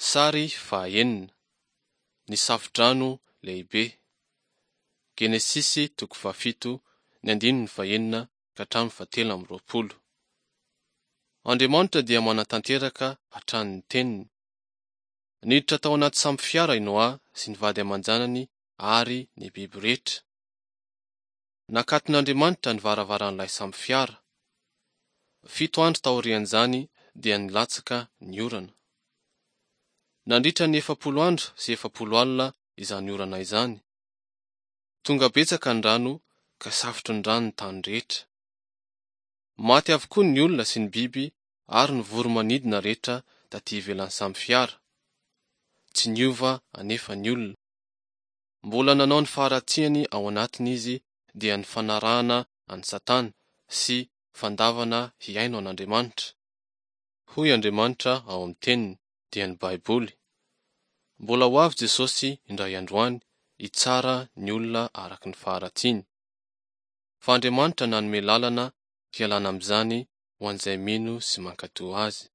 Sary fahaenina, Ny Safodrano lehibe. Genesisy toko fahafito, ny andininy fahenina ka hatramin'ny fahatelo amby 20. Andriamanitra dia manatanteraka hatrany ny teniny. Niditra tao anaty sambo fiara i Noa sy ny vady aman-janany ary ny biby rehetra. Nakaton'Andriamanitra ny varavaran'ilay sambo fiara. Fito andro taorian'izany dia nilatsaka ny orana. Nandritra ny 40 andro sy 40 alina izany orana izany. Tonga betsaka ny rano ka safotry ny rano ny tany rehetra. Maty avokoa ny olona sy ny biby ary ny voro-manidina rehetra taty ivelan'ny sambo fiara. Tsy niova anefa ny olona. Mbola nanao ny faharatsiany ao anatiny izy dia ny fanarahana an'i Satana sy fandavana hihaino an'Andriamanitra. Hoy Andriamanitra ao amin'ny Teniny, dia ny Baiboly. Mbola ho avy Jesosy indray andro any hitsara ny olona araka ny faharatsiany. Fa Andriamanitra nanome lalana hialana amin'izany ho an'izay mino sy mankatò Azy.